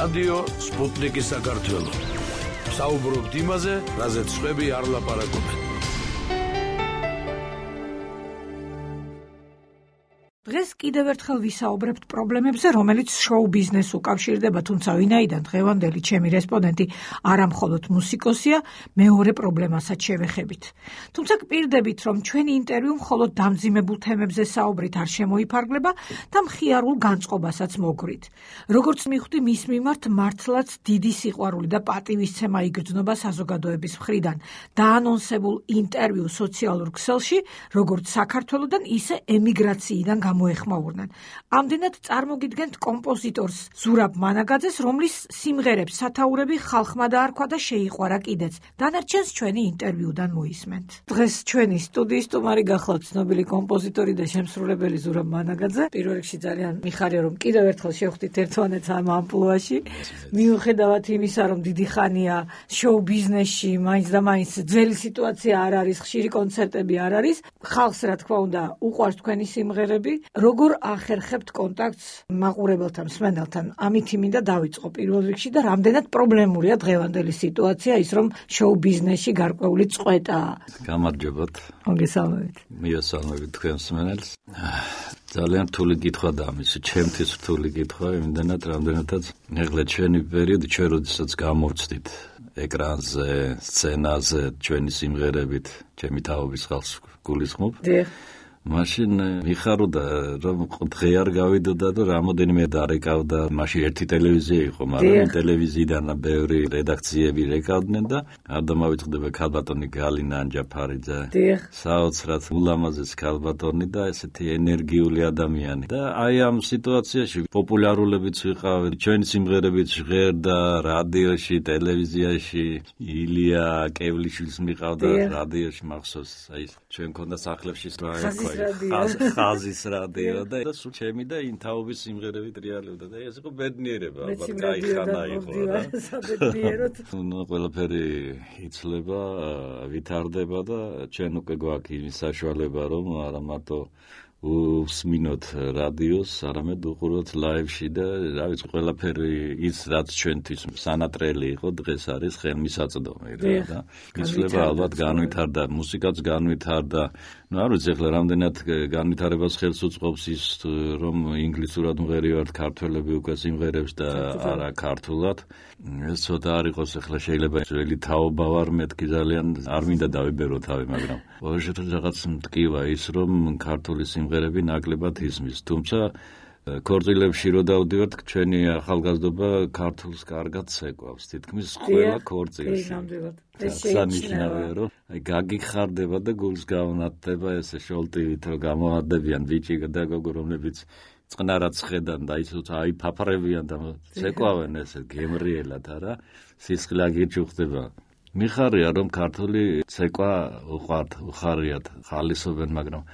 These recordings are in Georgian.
რადიო სპუტნიკის საქართველო. საუბრობთ იმაზე, რაზეც სხვები არ ლაპარაკობენ. დღეს კიდევ ერთხელ ვისაუბრებთ პრობლემებზე, რომელიც შოუ ბიზნესს უკავშირდება, თუმცა ვინაიდან დღევანდელი ჩემი რესპონდენტი არა მხოლოდ მუსიკოსია, მეორე პრობლემასაც შევეხებით. თუმცა გპირდებით, რომ ჩვენი ინტერვიუ მხოლოდ დამძიმებულ თემებზე საუბრით არ შემოიფარგლება და მხიარულ განწყობასაც მოგვრით. როგორც მივხვდი, მის მიმართ მართლაც დიდი სიყვარული და პატივისცემა იგრძნობა საზოგადოების მხრიდან დაანონსებულ ინტერვიუ სოციალურ ქსელში, როგორც საქართველოდან, ისე ემიგრაციიდან მოეხმაურნენ. ამდენად წარმოგიდგენთ კომპოზიტორს ზურაბ მანაგაძეს, რომლის სიმღერებს სათაურები ხალხმა დაარქვა და შეიყვარა კიდეც. დანარჩენს ჩვენი ინტერვიუდან მოისმენთ. დღეს ჩვენი სტუდიის სტუმარი გახლავთ ცნობილი კომპოზიტორი და შემსრულებელი ზურაბ მანაგაძე. პირველ რიგში ძალიან მიხარია, რომ კიდევ ერთხელ შევხვდით ერთმანეთს ამ ამპლუაში. მიუხედავად იმისა, რომ დიდი ხანია შოუ ბიზნესში, მაინც და მაინც ძველი სიტუაცია არ არის, ხშირი კონცერტები არ არის. ხალხს რა თქმა უნდა უყვარს თქვენი სიმღერები. როგორ ახერხებთ კონტაქტს მაყურებელთან, მსმენელთან? ამით მინდა დავიწყო პირველ რიგში და რამდენად პრობლემურია დღევანდელი სიტუაცია, ის რომ შოუ ბიზნესში გარკვეული წყვეტაა. გამარჯობათ. მოგესალმებით. მიესალმებით თქვენ მსმენელს. ძალიან რთული კითხვა და ამის ჩემთვის რთული კითხვა, იმდენად რამდენადაც ეხლა ჩვენი პერიოდი, ჩვენ როდესაც გამოვცდით ეკრანზე, სცენაზე, ჩვენი სიმღერებით, ჩემი თაობის ხალხს გულისხმობ. მაშინ მიხაროდა, რომ დღე არ გავიდოდა და რამოდენიმე დარეკავდა. მაშინ ერთი ტელევიზია იყო, მაგრამ ტელევიზიიდან ბევრი რედაქციები რეკავდნენ და არ დამავიწყდება ქალბატონი გალინა ანჯაფარიძე. საოცრად ულამაზეს ქალბატონი და ესეთი ენერგიული ადამიანი. და აი ამ სიტუაციაში პოპულარულებიც ვიყავით, ჩვენი სიმღერებით ჟღერდა რადიოში, ტელევიზიაში. ილია კევლიშვილს მიყავდა რადიოში, მახსოვს, აი ჩვენ ქონდა სახლებში ხაზის რადიო და სულ ჩემი და ინთაობის სიმღერებით რეალებდა და ეს იყო ბედნიერება, ალბათ გაიხანა იყო რა. ნუ ყველაფერი იცლება, ვითარდება და ჩვენ უკვე გვაქვს იმის საშუალება, რომ არა მარტო უსმინოთ რადიოს, არამედ უყუროთ ლაივში და რა ვიცი, ყველაფერი ის რაც ჩვენთვის სანატრელი იყო, დღეს არის ხელმისაწვდომი რა და იცლება, ალბათ განვითარდა, მუსიკაც განვითარდა. ნუ არ ვიცი ახლა რამდენად განვითარებას ხელს უწყობს ის, რომ ინგლისურად მღერივართ ქართველები უკვე სიმღერებს და არა ქართულად. ეს ცოტა არ იყოს ახლა, შეიძლება ძველი თაობა ვარ მეთქი, ძალიან არ მინდა დავიბერო თავი, მაგრამ ოღონდ რაღაც მტკივა ის, რომ ქართული სიმღერები ნაკლებად ისმის. თუმცა ქორწილებში რო დავდივართ, ჩვენი ახალგაზრდობა ქართულს კარგად ცეკვავს, თითქმის ყველა ქორწილში. სანიშნავია, რომ გაგიხარდება და გულს გაუნათდება ესე შოლტივით, რომ გამოადებიან ბიჭი და გოგო, რომლებიც წყნარად ხედან და აი ფაფარებიან და ცეკვავენ ესე გემრიელად, არა? სისხლი აგიჩუხდება. მიხარია, რომ ქართული ცეკვა უხარიათ, ხალისობენ, მაგრამ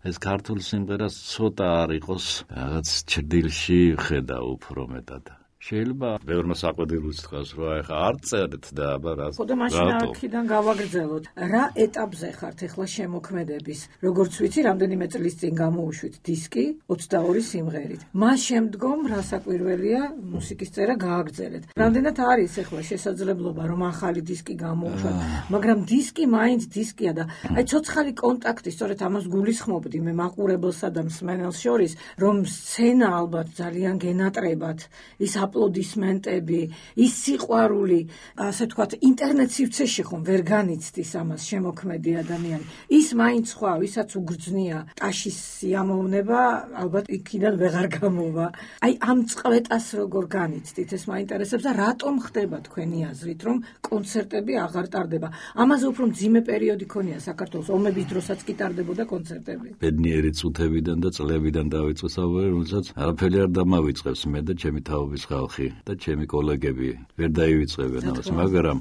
ეს ქართული სიმღერას ცოტა არ იყოს რაღაც ჭრდილში ხედა უფრო მეტად. შეიძლება ბევრმა საყვედილოც თქვას, რომ ეხა არ წერეთ და აბა რა. ხო და მაშინ აქედან გავაგრძელოთ. რა ეტაპზე ხართ ეხლა შემოქმედების? როგორც ვიცი, რამდენიმე წლის წინ გამოუშვით დისკი 22 სიმღერით. მას შემდგომ რა საკვირველია მუსიკის წერა გააგრძელეთ. რამდენად არის ეხლა შესაძლებლობა, რომ ახალი დისკი გამოუშვათ, მაგრამ დისკი მაინც დისკია და აი ცოცხალი კონტაქტი, სწორედ ამას გულისხმობდი მე მაყურებელსა და მსმენელს შორის, რომ სცენა ალბათ ძალიან გენატრებათ, ის აპლოდისმენტები, ის სიყვარული, ასე ვთქვათ, ინტერნეტ სივრცეში ხომ ვერ განიცდის ამას შემოქმედი ადამიანი. ის მაინც სხვა, ვისაც უგრძნია ტაშის სიამოვნება, ალბათ იქიდან ვეღარ გამოვა. აი ამ წყვეტას როგორ განიცდით, ეს მაინტერესებს და რატომ ხდება თქვენი აზრით, რომ კონცერტები აღარ ტარდება? ამაზე უფრო მძიმე პერიოდი ქონია საქართველოს, ომების დროსაც კი ტარდებოდა კონცერტები. ბედნიერი წუთებიდან და წლებიდან დავიწყე საუბარი, რომელსაც არაფერი არ დამავიწყებს მე და ჩემი თაობის ხალხი და ჩემი კოლეგები ვერ დაივიწყებენ ამას, მაგრამ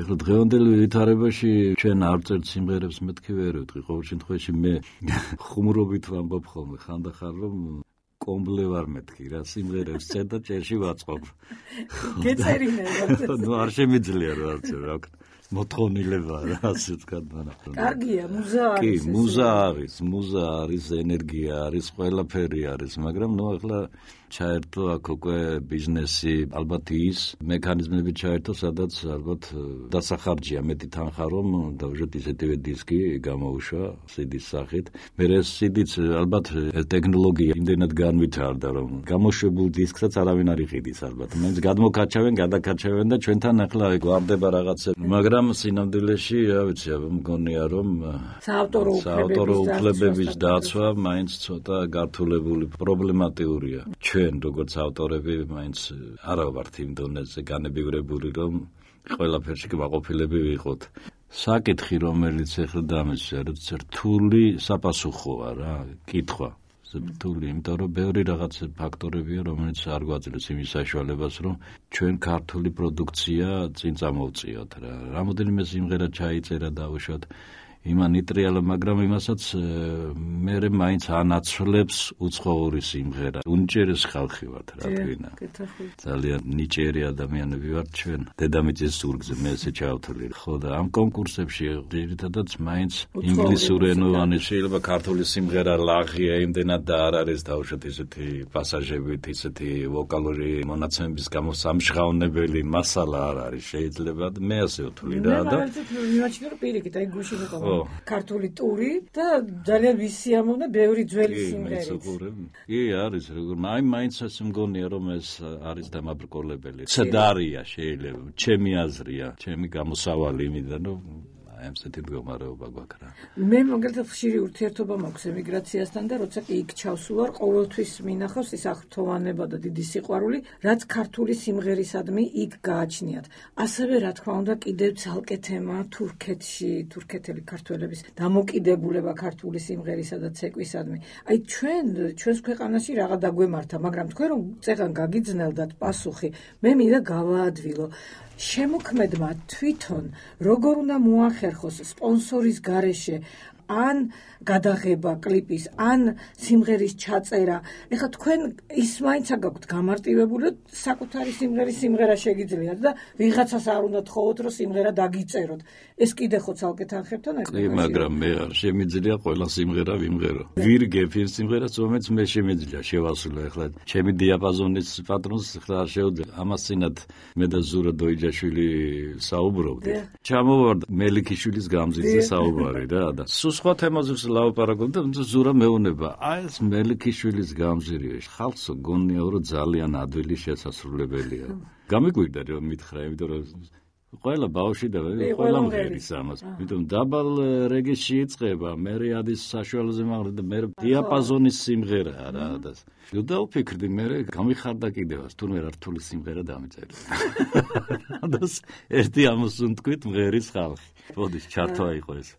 ეხლა დღევანდელი ვითარებაში ჩვენ არ წერთ სიმღერებს, მეთქი ვერ ვიტყვი, ყოველ შემთხვევაში მე ხუმრობით ვამბობ ხოლმე ხანდახან, რომ კომბლე ვარ მეთქი რა, სიმღერებს წერ და ჭერში ვაწყობ. გეწერინებათ. ნუ არ შემიძლია რა ვქნა. მოთხოვნილება რა ასე ვთქვათ, მაგრამ კარგია, მუზა არის. კი, მუზა არის, ენერგია არის, ყველაფერი არის, მაგრამ ნუ ახლა ჩაერთო აქ უკვე ბიზნესი, ალბათ ის მექანიზმები ჩაერთო, სადაც ალბათ დასახარჯია მეტი თანხა, რომ დავუშვათ ისეთივე დისკი გამოუშვა CD-ის სახით. მე ეს CD-ც ალბათ ტექნოლოგია იმდენად განვითარდა, რომ გამოშვებულ დისკსაც არავინ არ იყიდის ალბათ. მაინც გადმოკაჩავენ და ჩვენთან ახლა გვარდება რაღაცა, მაგრამ სინამდვილეში, რა ვიცი, მგონია რომ საავტორო უფლებების დაცვა მაინც ცოტა გართულებული პრობლემატიურია. ჩვენ როგორც ავტორები მაინც არა ვართ იმ დონეზე განებივრებული, რომ ყველაფერში კმაყოფილები ვიყოთ. საკითხი, რომელიც ახლა დამეცია, რთული საპასუხოა რა, კითხვა. რთული, იმიტომ რომ ბევრი რაღაც ფაქტორებია, რომელიც არ გვაძლევს იმის საშუალებას, რომ ჩვენ ქართული პროდუქცია წინ წამოვწიოთ რა. რამოდენიმე სიმღერა ჩაიწერა დავუშვათ იმან იტრიალა, მაგრამ იმასაც მე მაინც ანაცვლებს უცხოური სიმღერა. უნიჭერეს ხალხი ვართ რა თქვინა. ძალიან ნიჭიერი ადამიანები ვართ ჩვენ. დედამიწის ზურგზე მე ესე ჩავთვლი. ხო და ამ კონკურსებში ძირითადად მაინც ინგლისურენოვანი შეიძლება ქართული სიმღერა ლაღია იმდენად და არ არის დავუშვათ ისეთი პასაჟებით, ისეთი ვოკალური მონაცემების გამო სამშღავნებელი მასალა არ არის შეიძლება მე ასე ვთვლი რა და მიმაჩნია რომ პირიქით აი გუშინ იყო ქართული ტური და ძალიან ვისიამოვნა ბევრი ძველი სიმღერით. კი, არის როგორ მაინც ასე მგონია რომ ეს არის დამაბრკოლებელი. ცდარია შეიძლება, ჩემი აზრია, ჩემი გამოსავალი იმიდან რომ აი ესეთი მდგომარეობა გვაქვს რა. მე მაგალითად ხშირი ურთიერთობა მაქვს ემიგრაციასთან და როცა კი იქ ჩავსულვარ, ყოველთვის მინახავს ის აღფრთოვანება და დიდი სიყვარული, რაც ქართული სიმღერისადმი იქ გააჩნიათ. ასევე რა თქმა უნდა კიდევ ცალკე თემა თურქეთში, თურქეთელი ქართველების დამოკიდებულება ქართული სიმღერისა და ცეკვისადმი. აი ჩვენს ქვეყანაში რაღა დაგვემართა, მაგრამ თქვენ რომ წეგან გაგიძნელდათ პასუხი, მე მინდა გავაადვილო. შემოქმედმა თვითონ როგორ უნდა მოახერხოს სპონსორის გარეშე ან გადაღება კლიპის, ან სიმღერის ჩაწერა. ეხლა თქვენ ის მაინც აგაქვთ გამარტივებული, საკუთარი სიმღერა შეგიძლიათ და ვიღაცას არ უნდა თხოვოთ, რომ სიმღერა დაგიწეროთ. ეს კიდე ხო ცალკე თანხებთან ერთად. კი, მაგრამ მე არ შემიძლია ყველა სიმღერა ვიმღერო. ვირგებ იმ სიმღერას, რომელიც მე შემიძლია შევასრულო. ეხლა ჩემი დიაპაზონის პატრონს ხლა არ შეუძლია. ამასინად მე და ზურა დოიჯაშვილი საუბრობდით. ჩამოვარდა მელიქიშვილის გამზირზე საუბარი რა და სხვა თემაზე ლაპარაკობ და ზურა მეუნება. აი ეს მელიქიშვილის გამზირია. ხალხს გონია რომ ძალიან ადვილი შესასრულებელია. გამიგვირდა რომ მითხრა, იმიტომ რომ ყველა ბავშვი და ყველა მღერის ამას. იმიტომ დაბალ რეგისში იწყება, მე ადის საშუალოზე მაგრამ და მე დიაპაზონის სიმღერაა რა და და ვფიქრდი მე გამიხარდა კიდევაც თურმე რთული სიმღერა დამეწერა. და ერთი ამოსუნთქვით მღერის ხალხი. ბოდის ჩართვა იყო ეს.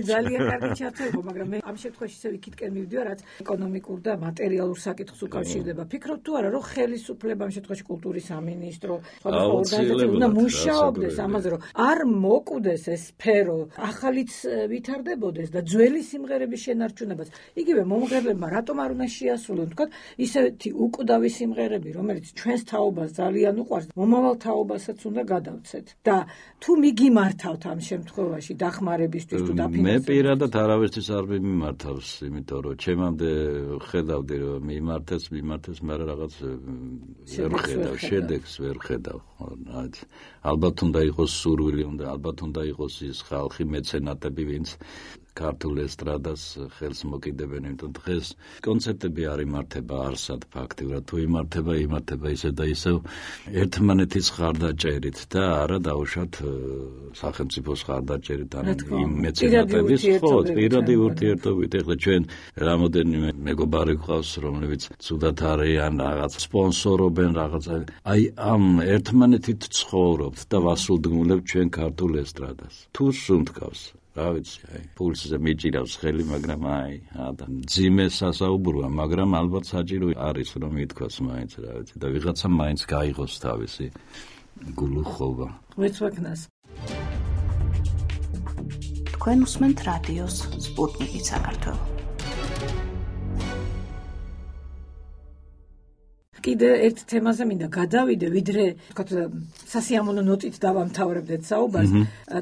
ძალიან კარგი ჩართვა იყო, მაგრამ მე ამ შემთხვევაში ისევ იქითკენ მივდივარ, რაც ეკონომიკურ და მატერიალურ საკითხს უკავშირდება. ფიქრობ თუ არა, რომ ხელისუფლება ამ შემთხვევაში კულტურის სამინისტრო, სხვადასხვა ორგანიზაციები უნდა მუშაობდეს ამაზე, რომ არ მოკვდეს ეს სფერო, ახალიც ვითარდებოდეს და ძველი სიმღერების შენარჩუნებას. იგივე მომღერლებმა რატომ არ უნდა შეასრულონ, თქვა ისეთი უკვდავი სიმღერები, რომელიც ჩვენს თაობას ძალიან უყვარს, მომავალ თაობასაც უნდა გადავცეთ. და თუ მიგიმართავთ ამ შემთხვევაში დახმარებისთვის თუ დაფინანსებისთვის. მე პირადად არავისთვის არ მიმართავს, იმიტომ რომ ჩემამდე ხედავდი რომ მიმართეს, მაგრამ რაღაც ვერ ხედავ, შედეგს ვერ ხედავ. ალბათ უნდა იყოს სურვილი, ალბათ უნდა იყოს ის ხალხი, მეცენატები, ვინც ქართულ ესტრადას ხელს მოკიდებენ, იმიტომ დღეს კონცერტები არ იმართება არსად ფაქტიურად, თუ იმართება ისე და ისევ ერთმანეთის ხარდაჭერით და არა დაუშვათ სახელმწიფოს ხარდაჭერით ან იმ მეცენატების პირადი ურთიერთობით. ეხლა ჩვენ რამოდენიმე მეგობარი გვყავს, რომლებიც ცუდად არიან, რაღაც სპონსორობენ რაღაცა. აი ამ ერთმანეთით ცხოვრობთ და ვასულდგმულებთ ჩვენ ქართულ ესტრადას. თუ სუნთქავს რა ვიცი, აი, პულსზე მიჭირავს ხელი, მაგრამ აი, ძიმე სასაუბროა, მაგრამ ალბათ საჭირო არის რომ ითქვას მაინც რა ვიცი და ვიღაცა მაინც გაიღოს თავისი გულუხობა. მეცვაკნას. თქვენ უსმენთ რადიოს სპუტნიკი საქართველო. კიდე ერთ თემაზე მინდა გადავიდე, ვიდრე თქვათ სასიამოვნო ნოტით დავამთავრებდეთ საუბარს.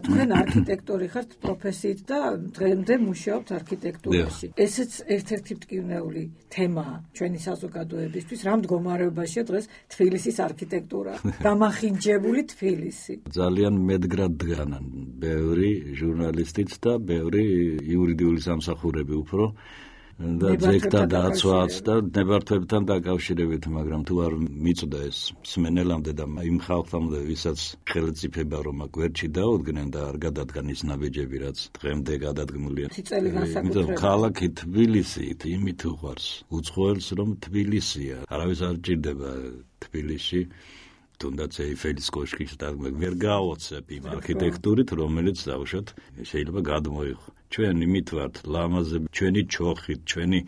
თქვენ არქიტექტორი ხართ პროფესიით და დღემდე მუშაობთ არქიტექტურაში. ესეც ერთ-ერთი მტკივნეული თემაა ჩვენი საზოგადოებისთვის. რა მდგომარეობაშია დღეს თბილისის არქიტექტურა? დამახინჯებული თბილისი. ძალიან მედგრად დგანან ბევრი ჟურნალისტიც და ბევრი იურიდიული სამსახურები უფრო და ძეგლთა დაცვაც და ნებართვებთან დაკავშირებით, მაგრამ თუ არ მიწვდა ეს სმენელამდე და იმ ხალხამდე, ვისაც ხელმწიფება რომ გვერდში დაუდგნენ და არ გადადგან ის ნაბიჯები, რაც დღემდე გადადგმულია. იმიტომ ქალაქი თბილისი იმით უყვარს უცხოელს, რომ თბილისია. არავის არ ჭირდება თბილისში თუნდაც ეიფელის კოშკის დაგმე ვერ გააოცებ იმ არქიტექტურით, რომელიც დავუშვათ შეიძლება გადმოიღო. ჩვენ იმით ვართ ლამაზები, ჩვენი ჩოხით, ჩვენი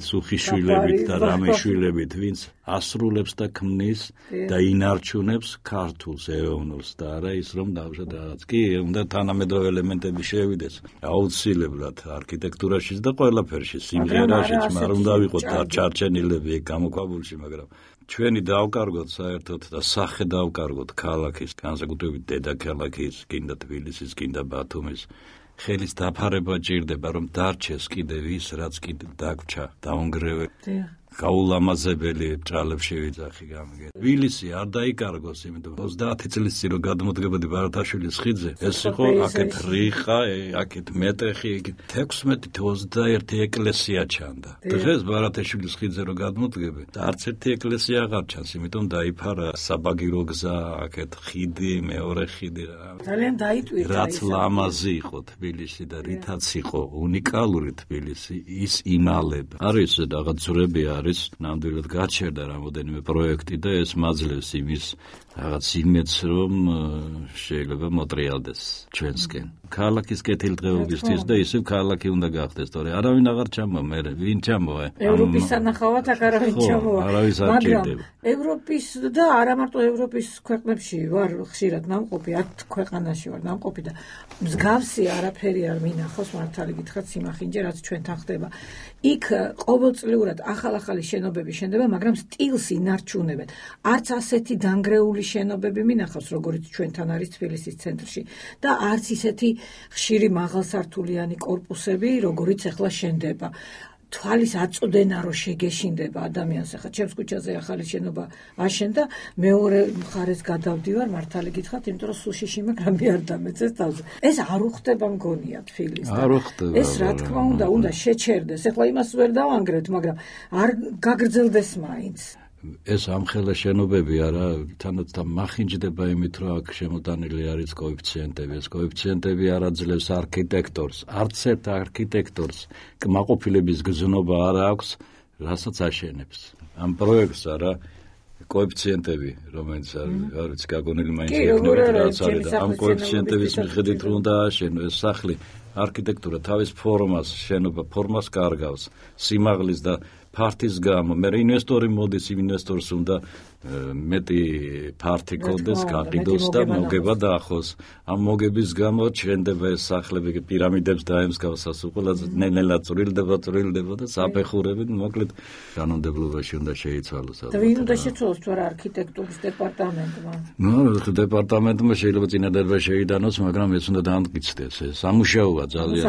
სუხიშვილებით და რამეშვილებით, ვინც ასრულებს და ქმნის და ინარჩუნებს ქართულს, ეროვნულს და არა ის რომ დავუშვათ რაღაც კი უნდა თანამედროვე ელემენტები შევიდეს. აუცილებლად არქიტექტურაშიც და ყველაფერში, სიმღერაშიც, მაგრამ უნდა ვიყოთ ჩარჩენილები გამოქვაბულში, მაგრამ ჩვენი დავკარგოთ საერთოდ და სახე დავკარგოთ ქალაქის, განსაკუთრებით დედაქალაქის, კიდე თბილისის, კიდე ბათუმის. ხელის დაფარება ჭირდება, რომ დარჩეს კიდევ ის, რაც კიდე დაგვრჩა, დაუნგრევე. გაულამაზებელი ჭრალებს შევიძახი გამიგე. თბილისი არ დაიკარგოს, იმიტომ 30 წლის წინ რომ გადმოდგებოდი ბარათაშვილის ხიდზე, ეს იყო აქეთ რიხა, აქეთ მეტეხი, 16-21 ეკლესია ჩანდა. დღეს ბარათაშვილის ხიდზე რომ გადმოდგები, და არც ერთი ეკლესია აღარ ჩანს, იმიტომ დაიფარა საბაგირო გზა, აქეთ ხიდი, მეორე ხიდი. ძალიან დაიტვირთა. რაც ლამაზი იყო თბილისი და რითაც იყო უნიკალური თბილისი, ის იმალება. არის რაღაც ძვრები არის ნამდვილად გაჩერდა რამოდენიმე პროექტი და ეს მაძლევს იმის რაღაც იმედს, რომ შეიძლება მოტრიალდეს ჩვენსკენ. ქალაქის კეთილდღეობისთვის და ისევ ქალაქი უნდა გახდეს, თორე არავინ აღარ ჩამოვა, მე ვინ ჩამოვა? ევროპის სანახავად აქ არავინ ჩამოვა. მაგრამ ევროპის და არა მარტო ევროპის ქვეყნებში ვარ ხშირად ნამყოფი, 10 ქვეყანაში ვარ ნამყოფი და მსგავსი არაფერი არ მინახავს, მართალი გითხრათ, სიმახინჯე, რაც ჩვენთან ხდება. იქ ყოველწლიურად ახალ-ახალი შენობები შენდება, მაგრამ სტილს ინარჩუნებენ. არც ასეთი დანგრეული შენობები მინახავს, როგორც ჩვენთან არის თბილისის ცენტრში და არც ისეთი ხშირი მაღალსართულიანი კორპუსები, როგორიც ახლა შენდება. თვალის აწოდენა რომ შეგეშინდება ადამიანს. ახლა ჩემს ქუჩაზე ახალი შენობა აშენდა, მეორე მხარეს გადავდივარ, მართალი გითხრათ, იმიტომ რომ სულ შიში მაგრამ არ დამეცეს თავზე. ეს არ უხდება მგონია თბილისს. არ უხდება. ეს რა თქმა უნდა შეჩერდეს. ახლა იმას ვერ დავანგრევთ, მაგრამ არ გაგრძელდეს მაინც. ეს ამხელა შენობები არა თანაც და მახინჯდება იმით, რომ აქ შემოტანილი არის კოეფიციენტები. ეს კოეფიციენტები არ აძლევს არქიტექტორს, არც ერთ არქიტექტორს კმაყოფილების გზნობა არ აქვს, რასაც აშენებს. ამ პროექტს არა კოეფიციენტები, რომელიც არის გაგონილი მაინც იქნება, რაც არის და ამ კოეფიციენტების მიხედვით რომ დააშენო ეს სახლი, არქიტექტურა თავის ფორმას, შენობა ფორმას კარგავს, სიმაღლის და ფართის გამო. მე ინვესტორი მოდის, ინვესტორს უნდა მეტი ფართი კონდეს, გაყიდოს და მოგება დაახოს. ამ მოგების გამო ჩენდება ეს სახლები პირამიდებს დაემსგავსას, ყველაზე ნელ-ნელა წვრილდება და საფეხურებით მოკლედ კანონმდებლობაში უნდა შეიცვალოს. ვინ უნდა შეცვალოს თუ არა არქიტექტურის დეპარტამენტმა? დეპარტამენტმა შეიძლება წინადადება შეიტანოს, მაგრამ ეს უნდა დაამტკიცდეს. ეს სამუშაოა ძალიან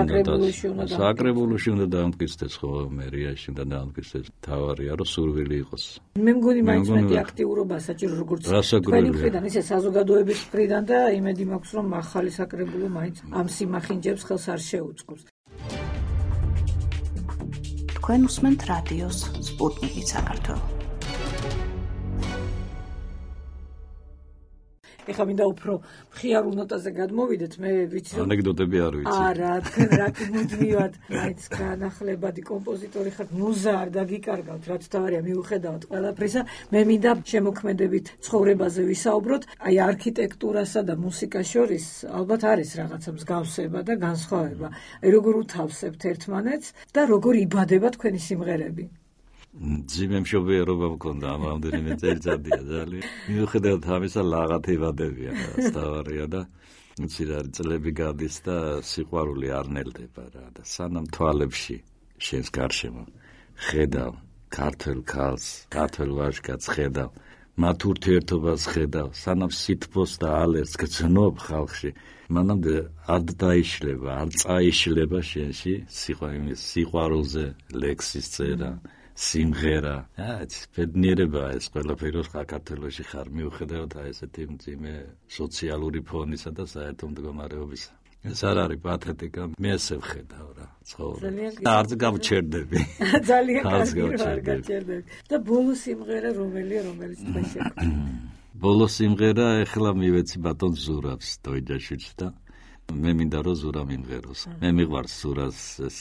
საკრებულოში უნდა დაამტკიცდეს, ხო, მერიაში უნდა დაამტკიცდეს. თავარია რომ სურვილი იყოს. მე მგონი მაინც მეტი აქტიურობა საჭირო როგორც თქვენი მხრიდან, ისე საზოგადოების მხრიდან და იმედი მაქვს რომ ახალი საკრებულო მაინც ამ სიმახინჯებს ხელს არ შეუწყობს. თქვენ უსმენთ რადიოს სპუტნიკი საქართველო. ეხლა მინდა უფრო მხიარულ ნოტაზე გადმოვიდეთ, მე ვიცი რომ ანეკდოტები არ ვიცი. არა, თქვენ რა კი მუდმივად მაინც განახლებადი კომპოზიტორი ხართ, მუზა არ დაგიკარგავთ, რაც თავარია მიუხედავად ყველაფრისა. მე მინდა შემოქმედებით ცხოვრებაზე ვისაუბროთ. აი არქიტექტურასა და მუსიკას შორის ალბათ არის რაღაცა მსგავსება და განსხვავება. აი როგორ უთავსებთ ერთმანეთს და როგორ იბადება თქვენი სიმღერები? ძიმე მშობიერობა მქონდა ამ რამდენიმე წელიწადია ძალიან. მიუხედავად ამისა ლაღათებადებია თავარია და იცი რა წლები გადის და სიყვარული არ ნელდება რა და სანამ თვალებში შენს გარშემო ხედავ ქართველ ქალს, ქართველ ვაჟკაცს ხედავ, მათ ურთიერთობას ხედავ, სანამ სითბოს და ალერტს გძნობ ხალხში, მანამდე არ დაიშლება, არ წაიშლება შენში სიყვარულზე ლექსის წერა, სიმღერა. ბედნიერებაა ეს ყველაფერი, საქართველოში ხარ, მიუხედავად ესეთი მძიმე სოციალური ფონისა და საერთო მდგომარეობისა. ეს არ არის პათეტიკა, მე ესე ვხედავ რა, ცხოვრება. არც გავჩერდები. ძალიან გავჩერდები. და ბოლო სიმღერა რომელია, რომელიც თქვენ შეგვიძლია? ბოლო სიმღერა ეხლა მივეცი ბატონ ზურაბს, დოიჯაშვილს და მე მინდა რომ ზურა მიმღეროს. მე მიყვარს ზურას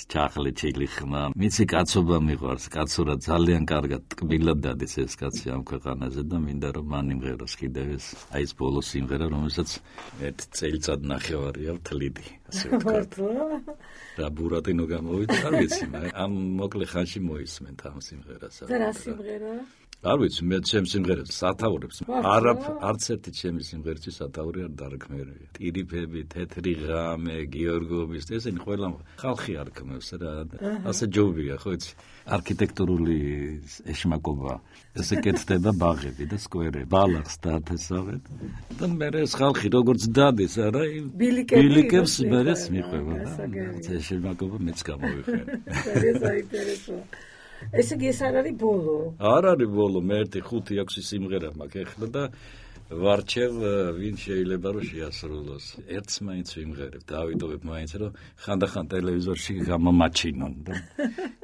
ჩახლე ჩილი ხმა. მიცი კაცობა მიყვარს, კაცურა ძალიან კარგად ტკბილად დადის ეს კაცი ამ ქვეყანაზე და მინდა რომ მან იმღეროს კიდევ ეს ბოლო სიმღერა, რომელსაც ერთ წელიწად ნახევარია ვთლიდი, ასე ვთქვათ. და ბურატინო გამოვიდა, არ ვიცი, ამ მოკლე ხანში მოისმენთ ამ სიმღერას. და რა სიმღერაა? არ ვიცი, მე ჩემ სიმღერებს სათაურებს არც ერთი ჩემი სიმღერაში სათაური არ დარქმერია. ტირიფები, თეთრი ღამე, გიორგობის, ესენი ყველა ხალხი არქმევს რა. ასე ჯობია, ხო იცი? არქიტექტურული ეშმაკობა. ესე კეთდება ბაღები და სკვერები, ბალახს დაათესავენ. და მე ეს ხალხი როგორც დადის, არა, ბილიკებს მერეს მიყვება და ეს ეშმაკობა მეც გამოვიხენ. საინტერესოა. ესე იგი ეს არ არის ბოლო? არ არის ბოლო, მე 1-5-6 სიმღერა მაქვს ეხლა და ვარჩევ ვინ შეიძლება რომ შეასრულოს. ერთს მაინც ვიმღერებ, დავიტოვებ მაინც რომ ხანდახან ტელევიზორში გამომაჩინონ და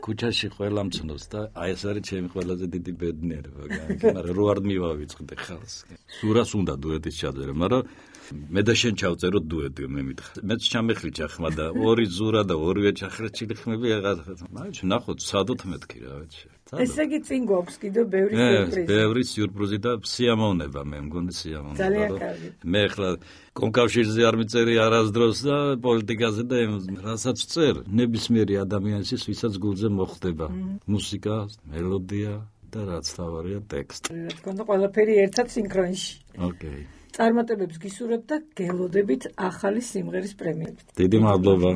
ქუჩაში ყველა მცნობს და აი ეს არის ჩემი ყველაზე დიდი ბედნიერება, მაგრამ რო არ მივავიწყდე ხალხს. სურას უნდა დუეტის ჩაწერა, მაგრამ მე და შენ ჩავწერო დუეტი, მე მითხრა. მეც ჩამეხლიჭა ხმა და ორი ზურა და ორივე ჩახრეჭილი ხმები აღარ. მაინც ნახოთ, სადოთ მეთქი რა ვიცი. ესე იგი წინ გვაქვს კიდევ ბევრი სიურპრიზი. ბევრი სიურპრიზი და სიამოვნება, მე მგონი სიამოვნება. ძალიან კარგი. მე ახლა კონკავშირზე არ მიწერი არასდროს და პოლიტიკაზე და რასაც წერ, ნებისმიერი ადამიანის ვისაც გულზე მოხდება. მუსიკა, მელოდია და რაც თავარია ტექსტი. რა თქმა უნდა, ყველაფერი ერთად სინქრონში. ოკეი. წარმატებებს გისურვებთ და გელოდებით ახალი სიმღერის პრემიერით. დიდი მადლობა.